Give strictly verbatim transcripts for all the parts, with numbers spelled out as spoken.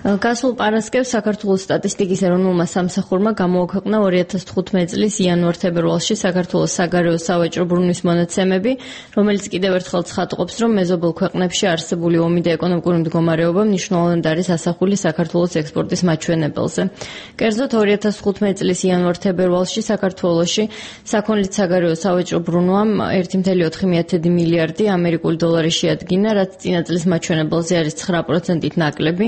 გასულ პარასკევს საქართველოს სტატისტიკის ეროვნულმა სამსახურმა გამოაქვეყნა ორი ათას თხუთმეტი წლის იანვარ-თებერვალში საქართველოს საგარეო სავაჭრო ბრუნვის მონაცემები, რომელიც კიდევ ერთხელ ცხადყოფს, რომ მეზობელ ქვეყნებში არსებული ომი და ეკონომიკური მდგომარეობა მნიშვნელოვნად არის ასახული საქართველოს ექსპორტის მაჩვენებელზე. კერძოდ ორი ათას თხუთმეტი წლის იანვარ-თებერვალში საქართველოში საქონლით საგარეო სავაჭრო ბრუნვამ ერთი კoma ოთხი მილიარდი ამერიკული დოლარი შეადგინა, რაც წინა წლის მაჩვენებელზე არის ცხრა პროცენტით ნაკლები.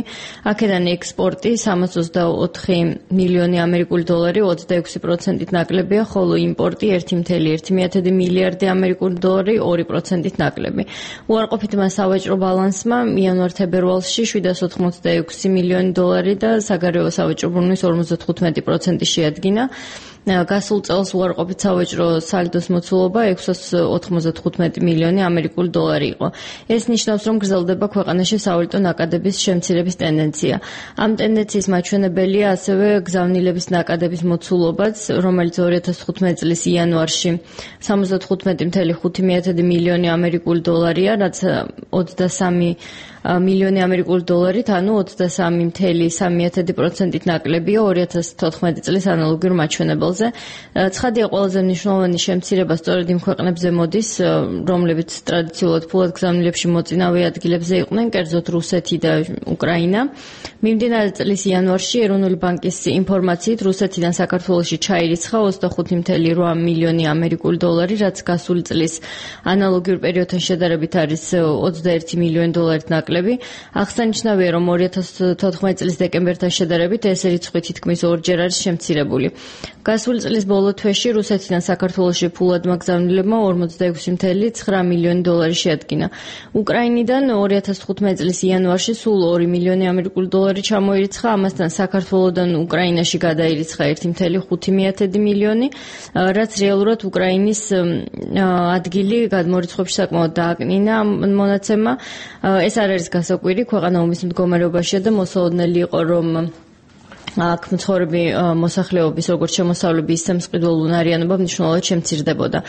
აქედან ექსპორტი სამას ოცდაოთხი მილიონი ამერიკული დოლარი ოცდაექვსი პროცენტით ნაკლებია, ხოლო იმპორტი ერთი კoma ერთი მილიარდი ამერიკული დოლარი ორი პროცენტით ნაკლები. უარყოფითმა სავაჭრო ბალანსმა იანვარ-თებერვალში შვიდას ოთხმოცდაექვსი მილიონი დოლარი და საგარეო სავაჭრო ბრუნვის ორმოცდათხუთმეტი პროცენტი შეადგინა. გასულ წელს უარყოფით სავაჭრო სალდოს მოცულობა ექვსას ოთხმოცდათხუთმეტი მილიონი ამერიკული დოლარი იყო. ეს ნიშნავს, რომ გრძელდება ქვეყანაში სავალუტო ნაკადების შემცირების ტენდენცია. ამ ტენდენციის მაჩვენებელია ასევე გზავნილების ნაკადების მოცულობაც, რომელიც ორი ათას თხუთმეტი წლის იანვარში სამოცდათხუთმეტი კoma ხუთი მილიონი ამერიკული დოლარია, რაც ოცდასამი მილიონი ამერიკული დოლარით, ანუ ოცდასამი კoma სამი პროცენტით ნაკლებია ორი ათას თოთხმეტი წლის ანალოგიურ მაჩვენებელზე. ცხადია, ყველაზე მნიშვნელოვანი შემცირება სწორედ იმ ქვეყნებზე მოდის, რომლებიც ტრადიციულად ფულად გზავნილებში მოწინავე ადგილებზე იყვნენ, კერძოდ რუსეთი და უკრაინა. მიმდინარე წლის იანვარში ეროვნული ბანკის ინფორმაციით რუსეთიდან საქართველოში ჩაირიცხა ოცდახუთი კoma რვა მილიონი ამერიკული დოლარი, რაც გასული წლის ანალოგიურ პერიოდთან შედარებით არის ოცდაერთი მილიონი დოლარით ნაკლები. აღსანიშნავია, რომ ორი ათას თოთხმეტი წლის დეკემბერთან შედარებით ეს რიცხვი თითქმის ორჯერ არის შემცირებული. გასული წლის ბოლო თვეში რუსეთიდან საქართველოში ფულადმა გზავნილებმა ორმოცდაექვსი კoma ცხრა მილიონი დოლარი შეადგინა. უკრაინიდან ორი ათას თხუთმეტი წლის იანვარში სულ ორი მილიონი ამერიკული დოლარი ჩამოირიცხა, ამასთან საქართველოდან უკრაინაში გადაირიცხა ერთი კoma ხუთი მილიონი, რაც რეალურად უკრაინის ადგილი გადმორიცხვებში საკმაოდ დააკნინა მონაცემმა. ეს არ არის გასაკვირი, ქვეყანა ომის მდგომარეობაშია და მოსალოდნელი იყო, რომ აქ მცხოვრები მოსახლეობის როგორც შემოსავლები, ისე მწყიდველური არიანობა მნიშვნელოვნად შემცირდებოდა.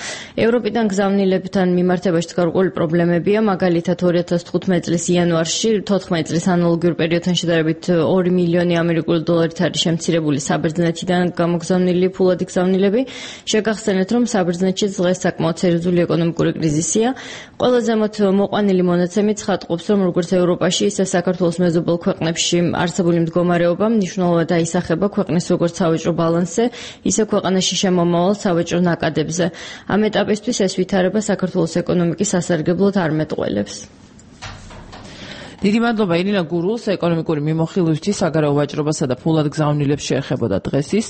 ევროპიდან გზავნილებთან მიმართებაში გარკვეული პრობლემებია, მაგალითად ორი ათას თხუთმეტი წლის იანვარში თოთხმეტი წლის ანალოგიურ პერიოდთან შედარებით ორი მილიონი ამერიკული დოლარით არის შემცირებული საბერძნეთიდან გამოგზავნილი ფულადი გზავნილები. შეგახსენეთ, რომ საბერძნეთში დღეს საკმაოდ სერიოზული ეკონომიკური კრიზისია. ყველაზე ზემოთ მოყვანილი მონაცემით ცხადყოფს, რომ როგორც ევროპაში, ისე საქართველოს მეზობელ ქვეყნებში არსებული მდგომარეობა მნიშვნელოვნად ისახება ქვეყნის როგორც სავაჭრო ბალანსზე, ისე ქვეყანაში შემომავალ სავაჭრო ნაკადებზე. ამ ეტაპისთვის ეს ვითარება საქართველოს ეკონომიკის სასარგებლოდ არ მეტყველებს. დიდი მადლობა ირინა გურულს, ეკონომიკური მიმოხილვისთვის საგარეო ვაჭრობასა და ფულად გზავნილებს შეეხებოდა დღეს ის.